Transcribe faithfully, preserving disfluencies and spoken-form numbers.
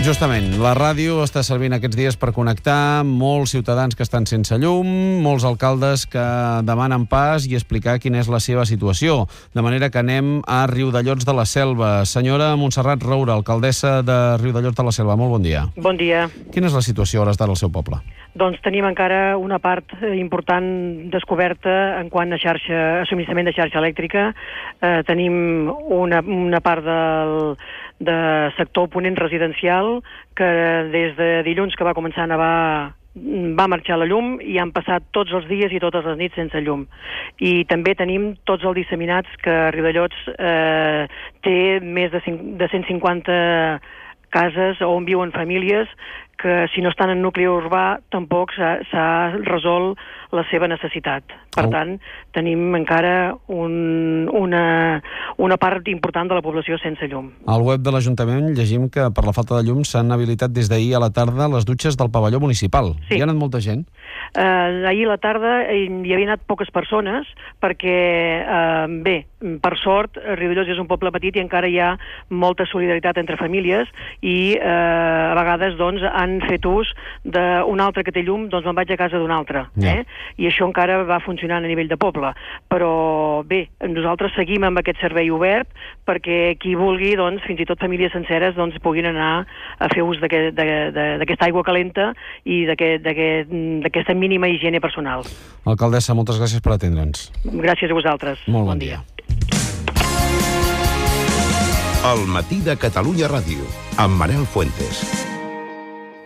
Justament, la ràdio està servint aquests dies per connectar molts ciutadans que estan sense llum, molts alcaldes que demanen pas i explicar quina és la seva situació. De manera que anem a Riudellots de la Selva. Senyora Montserrat Roura, alcaldessa de Riudellots de la Selva, molt bon dia. Bon dia. Quina és la situació a hores d'ara al seu poble? Doncs tenim encara una part important descoberta en quant a xarxa, a subministrament de xarxa elèctrica. Eh, tenim una, una part del de sector ponent residencial que des de dilluns que va començar a nevar va marxar la llum i han passat tots els dies i totes les nits sense llum. I també tenim tots els disseminats que Riudellots eh, té més de, de cent cinquanta cases on viuen famílies que si no estan en nucli urbà tampoc s'ha resolt la seva necessitat. Per oh. tant, tenim encara un, una, una part important de la població sense llum. Al web de l'Ajuntament llegim que per la falta de llum s'han habilitat des d'ahir a la tarda les dutxes del pavelló municipal. Sí. Hi ha anat molta gent? Uh, ahir a la tarda hi havia anat poques persones perquè, uh, bé, per sort, Riudellots és un poble petit i encara hi ha molta solidaritat entre famílies i uh, a vegades doncs, han fet ús d'un altre que té llum, doncs me'n vaig a casa d'un altre. Yeah. Eh? I això encara va funcionant a nivell de poble. Però bé, nosaltres seguim amb aquest servei obert perquè qui vulgui, doncs, fins i tot famílies senceres, doncs, puguin anar a fer ús d'aquesta aigua calenta i d'aquesta mínima higiene personal. Alcaldessa, moltes gràcies per atendre'ns. Gràcies a vosaltres. Molt bon, bon dia. El matí de Catalunya Ràdio, amb Manel Fuentes.